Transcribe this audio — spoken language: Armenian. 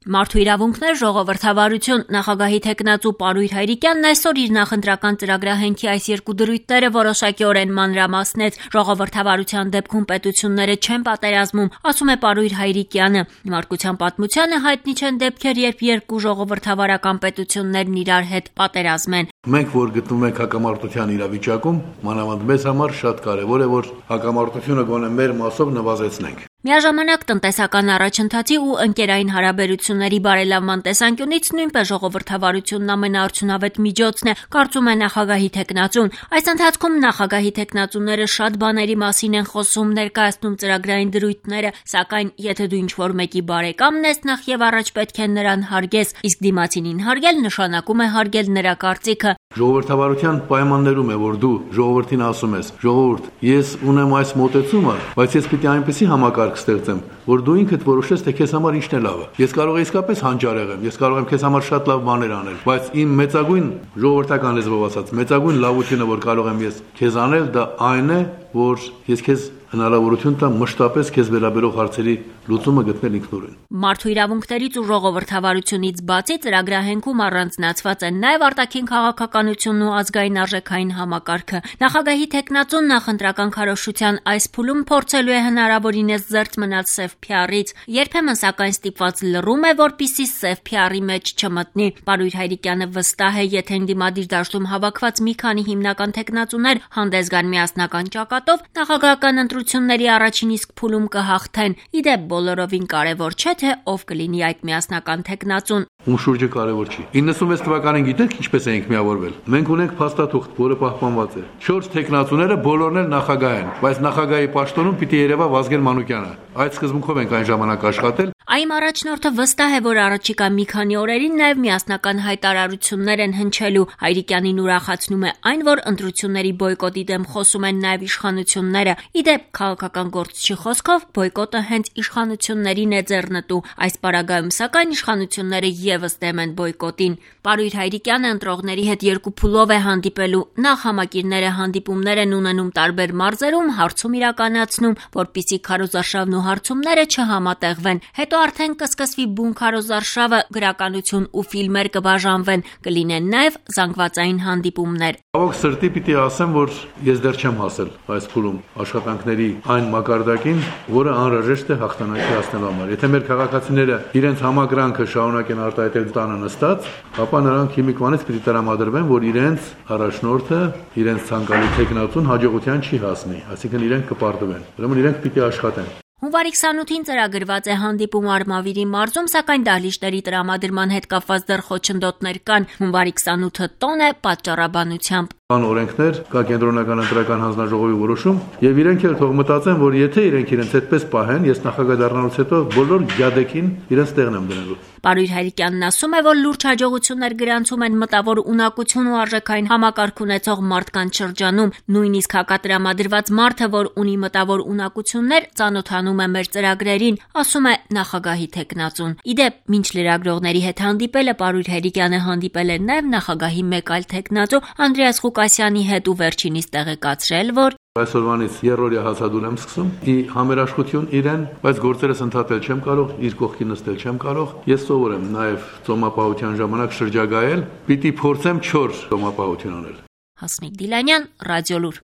Մարդու իրավունքներ ժողովրդավարություն նախագահի թեկնածու Պարույր Հայրիկյանն այսօր իր նախընտրական ծրագրահենքի այս երկու դրույթները որոշակիորեն մանրամասնեց. ժողովրդավարության դեպքում պետությունները չեն պատերազմում, ասում է Պարույր Հայրիկյանը։ Նվարկության պատմությանը հայտնի չեն դեպքեր, երբ երկու ժողովրդավարական պետություններն իրար հետ պատերազմեն։ Մենք որ գտնվում ենք հակամարտության իրավիճակում, մանավանդ մեզ համար շատ կարևոր է, որ հակամարտությունը գոնե մեր մասով նվազեցնենք։ Միաժամանակ տնտեսական առաջընթացի ու ընկերային հարաբերությունների բարելավման տեսանկյունից նույնպես ժողովրդավարությունն ամենաարդյունավետ միջոցն է, կարծում է նախագահի թեկնածուն։ Այս ընթացքում նախագահի թեկնածուները շատ բաների մասին են խոսում, ներկայացնում ծրագրային դրույթները, սակայն եթե դու ինչ-որ մեկի բարեկամն ես, նախ եւ առաջ պետք է նրան հարգես, իսկ դիմացինին հարգել նշանակում է հարգել նրա կարծիքը։ Ժողովրդավարության պայմաններում է, որ դու ժողովրդին ասում ես. ժողովուրդ, ես ունեմ այս մոտեցումը, բայց ես պիտի այնպեսի համակարգ ստեղծեմ, որ դու ինքդ որոշես, թե քեզ համար ինչն է լավը։ Ես կարող եմ իսկապես հանճարեղ եմ, ես կարող եմ քեզ համար շատ լավ բաներ անել, բայց իմ մեծագույն ժողովրդական լեզվով ասած, մեծագույն լավությունը, որ կարող եմ ես քեզ անել, դա այն է, որ ես քեզ հնարավորություն տամ մշտապես քեզ վերաբերող հարցերի լուծումը գտնել ինքնուրույն։ Մարդու իրավունքներից ու ժողովրդավարությունից բացի ծրագրահենքում առանձնացված է նաև արտաքին քաղաքականությունն ու ազգային արժեքային համակարգը։ Նախագահի թեկնածուն նախընտրական քարոզչության այս փուլում փորձելու է հնարավորինս զերծ մնալ սև փիառից։ Երբեմն սակայն ստիպված լռում է, որպեսզի սև փիառի մեջ չմտնի։ Պարույր Հայրիկյանը վստահ է, եթե ընդդիմադիր դաշտում հավաքված մի քանի հիմնական թեկնածուներ հանդես գան միասնական ճակատով, նախագահական ընտրությունների առաջին իսկ փուլում կհաղթեն։ Իդեպ բոլորովին կարևոր չէ, թե ով կլինի այդ միասնական թեկնածուն։ Ում շուրջը կարևոր չի։ 96 թվականին գիտեք ինչպես էինք միավորվել։ Մենք ունենք փաստաթուղթ, որը պահպանված է։ 4 թեկնածուները բոլորն էլ նախագահ են, բայց նախագահի պաշտոնում պիտի երևա Վազգեն Մանուկյանը։ Այդ սկզբունքով ենք այն ժամանակ աշխատել։ Այմ առաջնորդը վստահ է, որ առաջիկա մի քանի օրերին նաև միասնական հայտարարություններ են հնչելու։ Հայրիկյանին ուրախացնում է այն, որ ընտրությունների բոյկոտի դեմ խոսում են նաև իշխանությունները։ Իդեպ քաղաքական գործչի խոսքով բոյկոտը հենց իշխանություններին է ձեռնտու։ Այս պարագայում սակայն իշխանությունները եւս դեմ են բոյկոտին։ Պարույր Հայրիկյանը ընտրողների հետ երկու փուլով է հանդիպելու։ Նախ համակիրները հանդիպումներ են ունենում տարբեր մարզերում, հարցում իրականացնում, որպիսի քարոզարշավն ու հարցումները չհամատեղվեն։ Հետո արդեն կսկսվի բուն քարոզարշավը, գրականություն ու ֆիլմեր կբաժանվեն, կլինեն նաև զանգվածային հանդիպումներ։ Ավոք սրտի պիտի ասեմ, որ ես դեռ չեմ հասել այս փուլում աշխատանքների այն մակարդակին, որը անհրաժեշտ է հաղթանակի հասնելու համար։ Եթե մեր քաղաքացիները իրենց համակրանքը շարունակեն արտահայտել տանը նստած, ապա նրանք հիմիկվանից պիտի տրամադրվեն, որ իրենց առաջնորդը, իրենց ցանկալի թեկնածուն հաջողության չի հասնի, այսինքն իրենք կպարտվեն։ Ուրեմն իրենք պիտի աշխատեն։ Հունվարի 28-ին ծրագրված է հանդիպում Արմավիրի մարզում, սակայն դահլիճների տրամադրման հետ կապված դեռ խոչընդոտներ կան։ Հունվարի 28-ը տոն է պատճառաբանությամբ։ Կան օրենքներ, կա կենտրոնական ընտրական հանձնաժողովի որոշում, եւ իրենք էլ թող մտածեն, որ եթե իրենց այդպես պահեն, ես նախագահ դառնալուց հետո բոլոր գյադեկին իրենց տեղն եմ դնելու։ Պարույր Հայրիկյանն ասում է, որ լուրջ հաջողություններ գրանցում են մտավոր ունակություն ու արժեքային համակարգ ունեցող մարդկանց շրջանում։ Նույնիսկ հակատրամադրված մարդը, որ ունի մտավոր ունակություններ, ծանոթանում է մեր ծրագրերին, ասում է նախագահի թեկնածուն։ Իդեպ, մինչ լրագրողների հետ հանդիպելը Պարույր Հայրիկյանը հանդիպել է նաև նախագահի մեկ այլ թեկնածու Անդրեաս Ղուկասյանի հետ ու վերջինիս տեղեկացրել, որ այսօրվանից երրորդյա հացադուլ եմ սկսում, համերաշխություն իրեն, բայց գործերս ընդհատել չեմ կարող, իր կողքի նստել չեմ կարող։ Ես սովոր եմ նաև ծոմապահության ժամանակ շրջագայել, պիտի փորձեմ 4 ծոմապահություն անել։ Հասմիկ Դիլանյան, Ռադիոլուր։